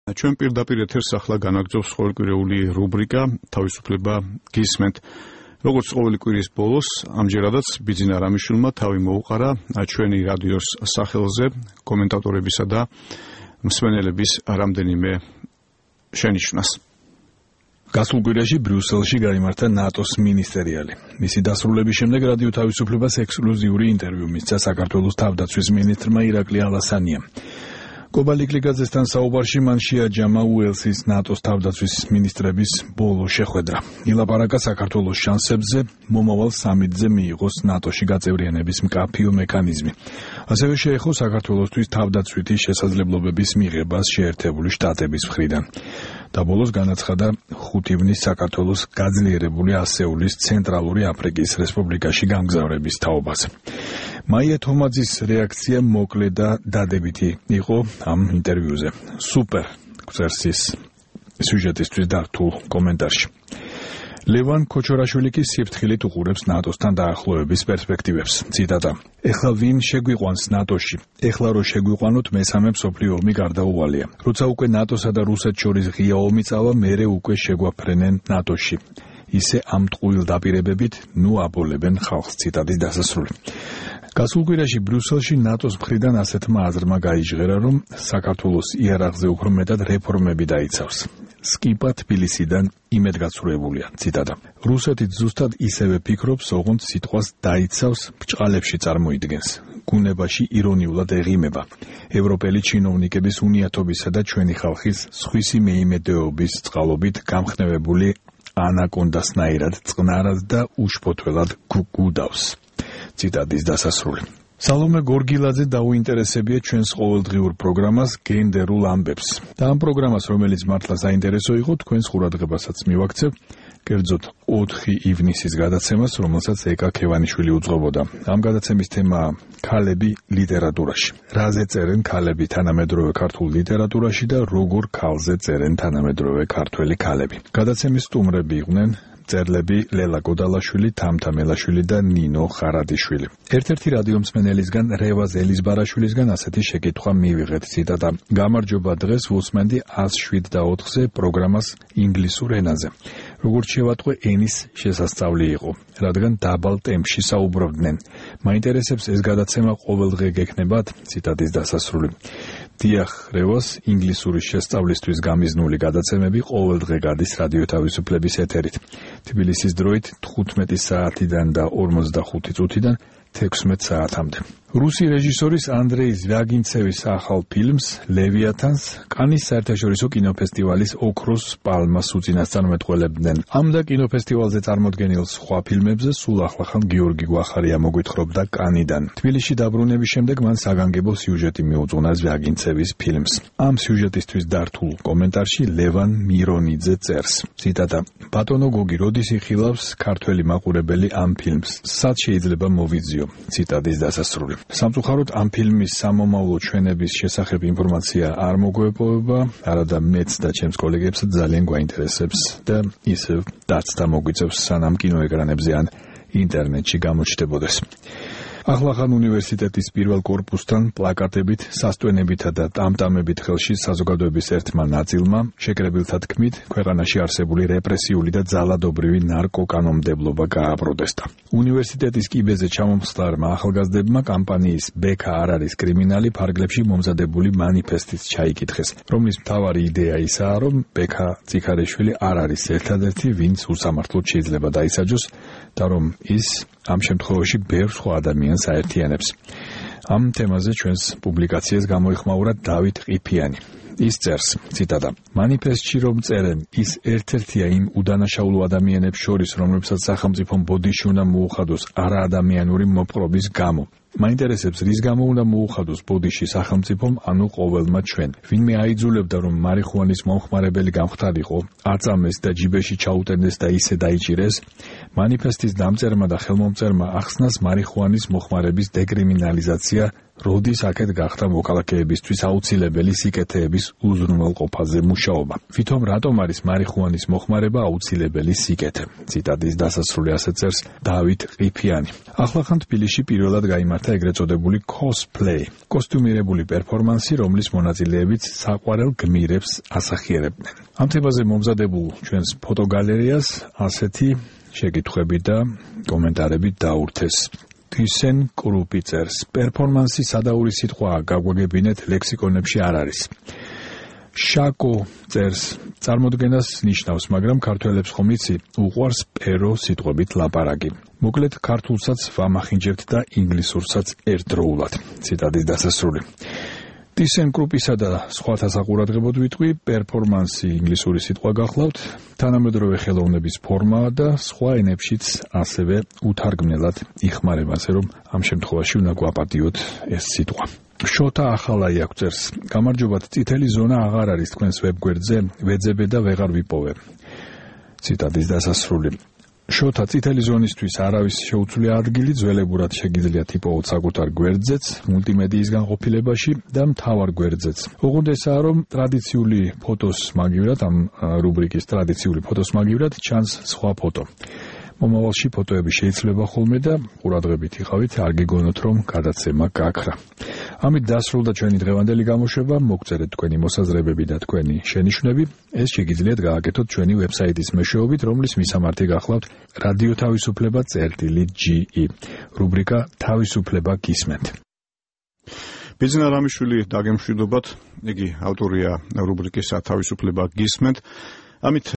ჩვენ პირდაპირ ეთერს ახლა განაგრძობს ყოველკვირეული რუბრიკა თავისუფლება გისმენთ. როგორც ყოველი კვირის ბოლოს, ამჯერადაც ბიძინა რამიშვილმა თავი მოუყარა ჩვენი რადიოს სახელზე კომენტატორებისა და მსმენელების რამდენიმე შენიშვნას. გასულ კვირაში ბრიუსელში გაიმართა ნატოს მინისტერიალი. მისი დასრულების შემდეგ რადიო თავისუფლებას ექსკლუზიური ინტერვიუ მისცა საქართველოს თავდაცვის მინისტრმა ირაკლი ალასანიამ. კობალიკლიძესთან საუბარში მან შეაჯამა უელსის ნატოს თავდაცვის მინისტრების ბოლო შეხვედრა. ილაპარაკა საქართველოს შანსებზე მომავალ სამიტზე მიიღოს ნატოში გაწევრიანების მკაფიო მექანიზმი. ასევე შეეხო საქართველოსთვის თავდაცვითი შესაძლებლობების მიღებას შეერთებული შტატების მხრიდან. და ბოლოს განაცხადა 5 ივნის საქართველოს გაძლიერებული ასეულის ცენტრალური აფრიკის რესპუბლიკაში გამგზავრების თაობაზე. მაია თომაძის რეაქცია მოკლე და დადებითი იყო ამ ინტერვიუზე. სუპერ ქსერსის სიუჟეტისთვის დართულ კომენტარში. ლევან ქოჩორაშვილი კი სიფრთხილით უყურებს ნატოსთან დაახლოების პერსპექტივებს. ციტატა: ეხლა ვინ შეგვიყვანს ნატოში? ეხლა რო შეგვიყვანოთ მესამე მსოფლიო ომი გარდაუვალია. როცა უკვე ნატოსა და რუსეთს შორის ღია ომი წავა, მერე უკვე შეგვაფრენენ ნატოში. ისე ამ ტყუილ დაპირებებით ნუ აბოლებენ ხალხს. ციტატის დასასრული. გასულ კვირაში ბრიუსელში ნატოს მხრიდან ასეთმა აზრმა გაიჟღერა, რომ საქართველოს იარაღზე უფრო მეტად რეფორმები დაიცავს. სკიპა თბილისიდან იმედგაცრუებულია. ციტატა: რუსეთიც ზუსტად ისევე ფიქრობს, ოღონდ სიტყვას დაიცავს, ბრჭყალებში წარმოიდგენს. გუნებაში ირონიულად ეღიმება. ევროპელი ჩინოვნიკების უნიათობისა და ჩვენი ხალხის სხვისი მეიმედეობის წყალობით გამხნევებული ანაკონდასნაირად წყნარად და უშფოთველად გუდავს. ციტატის დასასრული. სალომე გორგილაძე დაუინტერესებია ჩვენს ყოველდღიურ პროგრამას გენდერულ ამბებს. და ამ პროგრამას, რომელიც მართლა საინტერესო იყო, თქვენს ყურადღებასაც მივაქცევ, კერძოდ 4 ივნისის გადაცემას, რომელსაც ეკა ქევანიშვილი უძღვებოდა. ამ გადაცემის თემაა ქალები ლიტერატურაში. რაზე წერენ ქალები თანამედროვე ქართულ ლიტერატურაში და როგორ ქალზე წერენ თანამედროვე ქართველი ქალები. გადაცემის სტუმრები იყვნენ წერლები ლელა გოდალაშვილი, თამთა მელაშვილი და ნინო ხარადიშვილი. ერთ-ერთი რადიო მსმენელისგან რევაზ ელიზბარაშვილისგან ასეთი შეკითხვა მივიღეთ. ციტატა: გამარჯობა, დღეს ვუსმენდი 107.4-ზე პროგრამას ინგლისურ ენაზე. როგორც შევატყვე, ენის შესასწავლი იყო, რადგან დაბალ ტემპში საუბრობდნენ. მაინტერესებს ეს გადაცემა ყოველდღე გექნებათ? ციტატის დასასრული. დიახ, რევას ინგლისურის შესწავლისთვის გამიზნული გადაცემები ყოველდღე გადის რადიო თავისუფლების ეთერით. თბილისის დროით 15 საათიდან და 45 წუთიდან 16 საათამდე. რუსი რეჟისორის ანდრეი ზვიაგინცევის ახალ ფილმს ლევიათანს კანის საერთაშორისო კინოფესტივალის ოქროს პალმას უწინასწარმეტყველებდნენ. ამ და კინოფესტივალზე წარმოდგენილ სხვა ფილმებზე სულ ახლახან გიორგი გვახარია მოგვითხრობდა კანიდან. თბილისში დაბრუნების შემდეგ მან საგანგებო სიუჟეტი მიუძღვნა ზვიაგინცევის ფილმს. ამ სიუჟეტისთვის დართულ კომენტარში ლევან მირონიძე წერს. ციტატა: ბატონო გოგი, როდის იხილავს ქართველი მაყურებელი ამ ფილმს? სად შეიძლება მოვიძიო? ციტატის დასასრული. სამწუხაროდ ამ ფილმის სამომავლო ჩვენების შესახებ ინფორმაცია არ მოგვეპოვება, არადა მეც და ჩემს კოლეგებსაც ძალიან გვაინტერესებს და ისევ დაცდა მოგვიწევს, სანამ კინოეკრანებზე ან ინტერნეტში გამოჩნდებოდეს. ახლახან უნივერსიტეტის პირველ კორპუსთან პლაკატებით, სასტვენებითა და ტამტამებით ხელში საზოგადოების ერთმა ნაწილმა, შეკრებილთა თქმით, ქვეყანაში არსებული რეპრესიული და ძალადობრივი ნარკოკანონმდებლობა გააპროტესტა. უნივერსიტეტის კიბეზე ჩამომხსლარმა ახალგაზრდებმა კამპანიის ბექა არ არის კრიმინალი ფარგლებში მომზადებული მანიფესტიც ჩაიკითხეს, რომლის მთავარი იდეა ისაა, რომ ბექა წიქარეშვილი არ არის ერთადერთი, ვინც უსამართლოდ შეიძლება დაისაჯოს და რომ ის ამ შემთხვევაში ბევრ სხვა ადამიანს აერთიანებს. ამ თემაზე ჩვენს პუბლიკაციას გამოიხმაურა დავით ყიფიანი. ის წერს, ციტატა: მანიფესტში რომ წერენ, ის ერთ-ერთია იმ უდანაშაულო ადამიანებს შორის, რომლებსაც სახელმწიფომ ბოდიში უნდა მოუხადოს არაადამიანური მოპყრობის გამო. მაინტერესებს, რის გამო უნდა მოუხადოს ბოდიში სახელმწიფომ, ანუ ყოველმა ჩვენ. ვინმე აიძულებდა, რომ მარიხუანის მომხმარებელი გამხდარიყო, აწამეს და ჯიბეში ჩაუტენდეს და ისე დაიჭირეს. მანიფესტის დამწერმა და ხელმომწერმა ახსნას მარიხუანის მოხმარების დეკრიმინალიზაცია როდის აქეთ გახდა მოქალაქეებისთვის აუცილებელი სიკეთეების უზრუნველყოფაზე მუშაობა. ვითომ რატომ არის მარიხუანის მოხმარება აუცილებელი სიკეთე? ციტატის დასასრული ასე წერს დავით ყიფიანი. ახლახან თბილისში პირველად გაიმართა ეგრეთ წოდებული cosplay, კოსტიუმირებული პერფორმანსი, რომლის მონაწილეებიც საყვარელ გმირებს ასახიერებდნენ. ამ თემაზე მომზადებულ ჩვენს ფოტოგალერეას ასეთი შეკითხვები და კომენტარები დაურთეს. თვისენ კრუპი წერს, პერფორმანსი სადაური სიტყვაა, გაგვაგებინეთ ლექსიკონებში არ არის. შაკო წერს, წარმოდგენას ნიშნავს, მაგრამ ქართველებს ხომ იცი, უყვარს პერო სიტყვებით ლაპარაკი. მოკლედ ქართულსაც ვამახინჯებთ და ინგლისურსაც ერთდროულად. ციტატის დასასრული. თვისენ კრუპისა და სხვათა საყურადღებოდ ვიტყვი, პერფორმანსი ინგლისური სიტყვა გახლავთ, თანამედროვე ხელოვნების ფორმაა და სხვა ენებშიც ასევე უთარგმნელად იხმარება, ასე რომ ამ შემთხვევაში უნდა გვაპატიოთ ეს სიტყვა. შოთა ახალაი აღწერს, გამარჯობათ, წითელი ზონა აღარ არის თქვენს ვებგვერდზე, ვეძებე და ვეღარ ვიპოვე. ციტატის დასასრული. შოთა, წითელი ზონისთვის არავის შეუცვლია ადგილი, ძველებურად შეგიძლიათ იპოვოთ საკუთარ გვერდზეც, მულტიმედიის განყოფილებაში და მთავარ გვერდზეც. ოღონდ ესაა, რომ ტრადიციული ფოტოს მაგივრად, ამ რუბრიკის ტრადიციული ფოტოს მაგივრად ჩანს სხვა ფოტო. მომავალში ფოტოები შეიძლება ხოლმე და ყურადღებით იყავით, არ გეგონოთ, რომ გადაცემა გაქრა. ამით დასრულდა ჩვენი დღევანდელი გამოშვება, მოგწერეთ თქვენი მოსაზრებები და თქვენი შენიშვნები. ეს შეგიძლიათ გააკეთოთ ჩვენი ვებსაიტის მეშვეობით, რომლის მისამართი გახლავთ რადიო თავისუფლება.ge, რუბრიკა თავისუფლება გისმენთ. ბიძინა რამიშვილი დაგემშვიდობათ, იგი ავტორია რუბრიკისა თავისუფლება გისმენთ. ამით